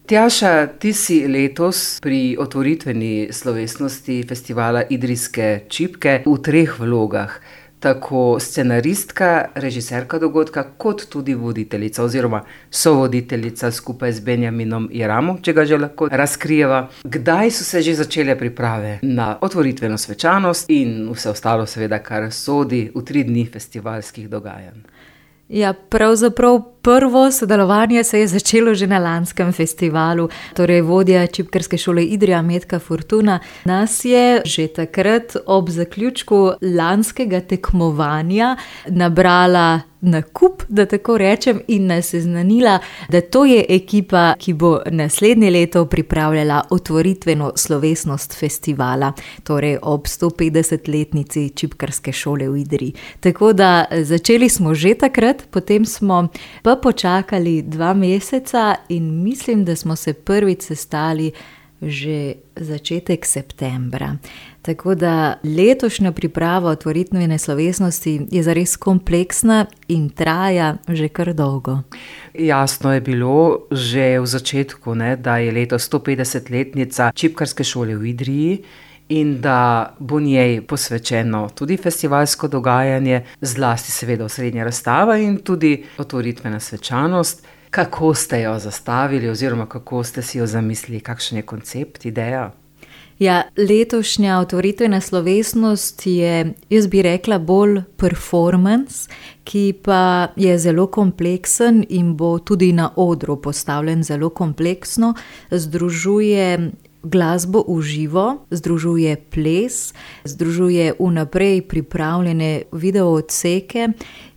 Tjaša, ti si letos pri otvoritveni slovesnosti festivala Idrijske čipke v 3 vlogah. Tako scenaristka, režiserka dogodka, kot tudi voditeljica oziroma sovoditeljica skupaj z Benjaminom Jeramom, če ga že lahko razkrijeva. Kdaj so se že začele priprave na otvoritveno svečanost in vse ostalo, seveda, kar sodi v 3 dni festivalskih dogajanj? Ja, pravzaprav prvo sodelovanje se je začelo že na lanskem festivalu. Torej, vodja Čipkarske šole Idrija, Metka Fortuna, nas je že takrat ob zaključku lanskega tekmovanja nabrala na kup, da tako rečem, in nas seznanila, da to je ekipa, ki bo naslednje leto pripravljala otvoritveno slovesnost festivala, torej ob 150-letnici Čipkarske šole v Idriji. Tako da začeli smo že takrat, potem smo pa počakali 2 meseca in mislim, da smo se prvič sestali že začetek septembra. Tako da letošnja priprava otvoritvene slovesnosti je zares kompleksna in traja že kar dolgo. Jasno je bilo že v začetku, da je letos 150-letnica Čipkarske šole v Idriji in da bo njej posvečeno tudi festivalsko dogajanje, zlasti seveda osrednja razstava in tudi otvoritvena svečanost. Kako ste jo zastavili oziroma kako ste si jo zamislili, kakšen je koncept, ideja? Ja, letošnja otvoritvena slovesnost je, jaz bi rekla, bolj performance, ki pa je zelo kompleksen in bo tudi na odru postavljen zelo kompleksno. Združuje glasbo v živo, združuje ples, združuje vnaprej pripravljene video odseke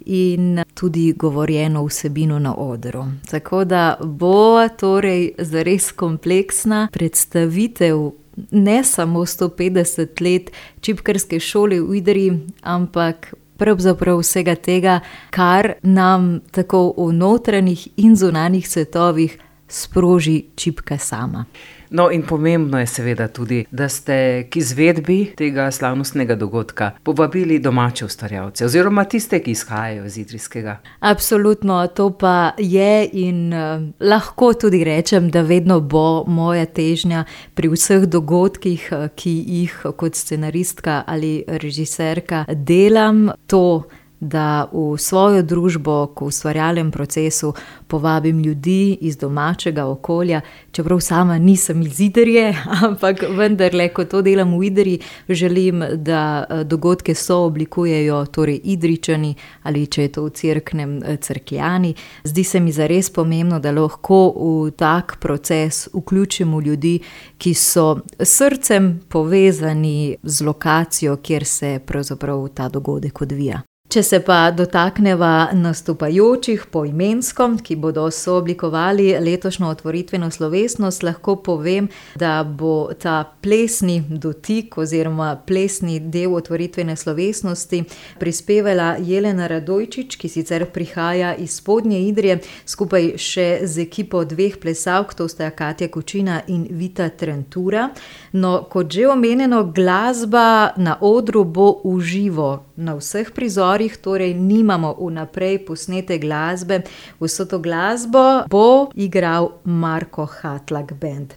in tudi govorjeno vsebino na odru. Tako da bo torej zares kompleksna predstavitev ne samo 150 let Čipkarske šole v Idriji, ampak pravzaprav vsega tega, kar nam tako v notranjih in zunanjih svetovih sproži čipka sama. No, in pomembno je seveda tudi, da ste k izvedbi tega slavnostnega dogodka povabili domače ustvarjalce oziroma tiste, ki izhajajo iz idrijskega. Absolutno, to pa je in lahko tudi rečem, da vedno bo moja težnja pri vseh dogodkih, ki jih kot scenaristka ali režiserka delam, to, da v svojo družbo, v ustvarjalnem procesu povabim ljudi iz domačega okolja, čeprav sama nisem iz Idrije, ampak vendarle, ko to delam v Idriji, želim, da dogodke sooblikujejo torej Idrijčani ali če je to v Cerknem, Cerkljani. Zdi se mi zares pomembno, da lahko v tak proces vključimo ljudi, ki so srcem povezani z lokacijo, kjer se pravzaprav ta dogodek odvija. Če se pa dotakneva nastopajočih poimensko, ki bodo sooblikovali letošnjo otvoritveno slovesnost, lahko povem, da bo ta plesni dotik oziroma plesni del otvoritvene slovesnosti prispevala Jelena Radojčič, ki sicer prihaja iz Spodnje Idrije, skupaj še z ekipo 2 plesalk, to sta Katja Kučina in Vita Trentura. No, kot že omenjeno, glasba na odru bo v živo na vseh prizorih, torej nimamo vnaprej posnete glasbe. Vso to glasbo bo igral Marko Hatlak Band.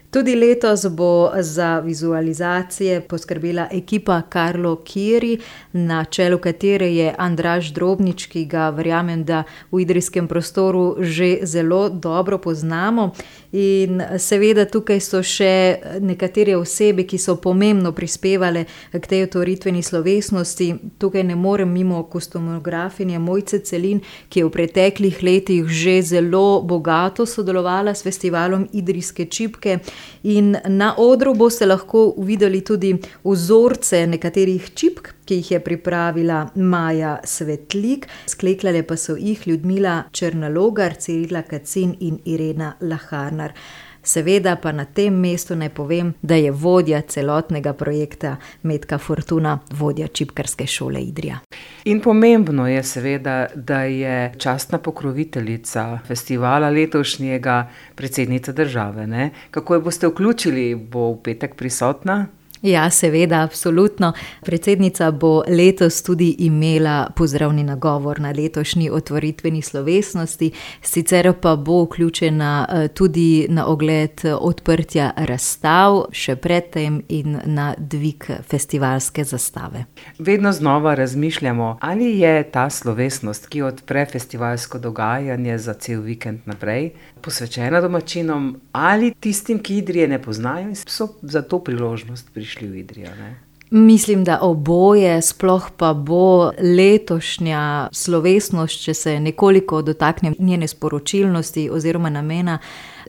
Tudi letos bo za vizualizacije poskrbela ekipa Karlo Kiri, na čelu katere je Andraž Drobnič, ki ga verjamem, da v idrijskem prostoru že zelo dobro poznamo. In seveda tukaj so še nekatere osebe, ki so pomembno prispevale k tej otvoritveni slovesnosti. Tukaj ne morem mimo kostumografinje Mojce Celin, ki je v preteklih letih že zelo bogato sodelovala s festivalom Idrijske čipke. In na odru boste lahko videli tudi vzorce nekaterih čipk, ki jih je pripravila Maja Svetlik, sklekljale pa so jih Ljudmila Črnalogar, Cirila Kacin in Irena Laharnar. Seveda pa na tem mestu naj povem, da je vodja celotnega projekta Metka Fortuna, vodja Čipkarske šole Idrija. In pomembno je seveda, da je častna pokroviteljica festivala letošnjega predsednica države, ne? Kako jo boste vključili? Bo v petek prisotna? Ja, seveda, absolutno. Predsednica bo letos tudi imela pozdravni nagovor na letošnji otvoritveni slovesnosti, sicer pa bo vključena tudi na ogled odprtja razstav, še predtem in na dvig festivalske zastave. Vedno znova razmišljamo, ali je ta slovesnost, ki odpre festivalsko dogajanje za cel vikend naprej, posvečena domačinom ali tistim, ki Idrije ne poznajo in so za to priložnost prišli v Idrijo, ne? Mislim, da oboje, sploh pa bo letošnja slovesnost, če se nekoliko dotaknem njene sporočilnosti oziroma namena,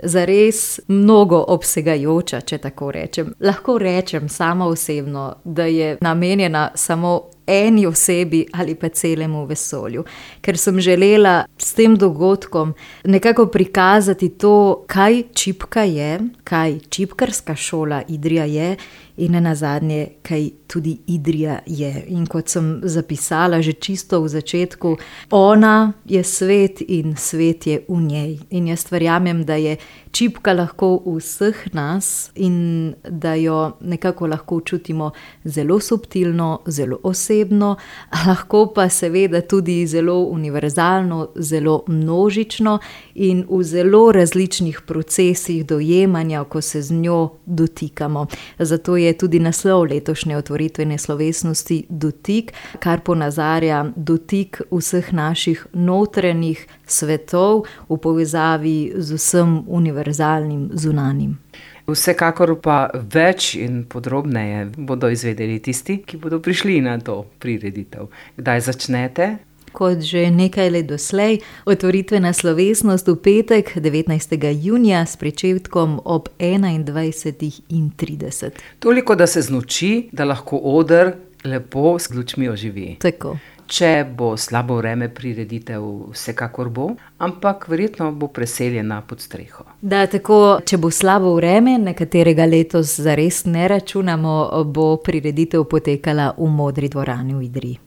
zares mnogo obsegajoča, če tako rečem. Lahko rečem sama osebno, da je namenjena samo eni osebi ali pa celemu vesolju. Ker sem želela s tem dogodkom nekako prikazati to, kaj čipka je, kaj čipkarska šola Idrija je in nenazadnje, kaj tudi Idrija je. In kot sem zapisala že čisto v začetku, ona je svet in svet je v njej. In jaz verjamem, da je čipka lahko v vseh nas in da jo nekako lahko čutimo zelo subtilno, zelo osebno, lahko pa seveda tudi zelo univerzalno, zelo množično in v zelo različnih procesih dojemanja, ko se z njo dotikamo. Zato je tudi naslov letošnje otvoritvene slovesnosti Dotik, kar ponazarja dotik vseh naših notranjih svetov v povezavi z vsem univerzalnim zunanjim. Vsekakor pa več in podrobneje bodo izvedeli tisti, ki bodo prišli na to prireditev. Kdaj začnete? Kot že nekaj let doslej, otvoritvena slovesnost v petek 19. junija s pričetkom ob 21:30. Toliko, da se znoči, da lahko oder lepo s lučmi oživi. Tako. Če bo slabo vreme, prireditev vsekakor bo, ampak verjetno bo preseljena pod streho. Da, tako, če bo slabo vreme, na katerega letos zares ne računamo, bo prireditev potekala v Modri dvorani v Idriji.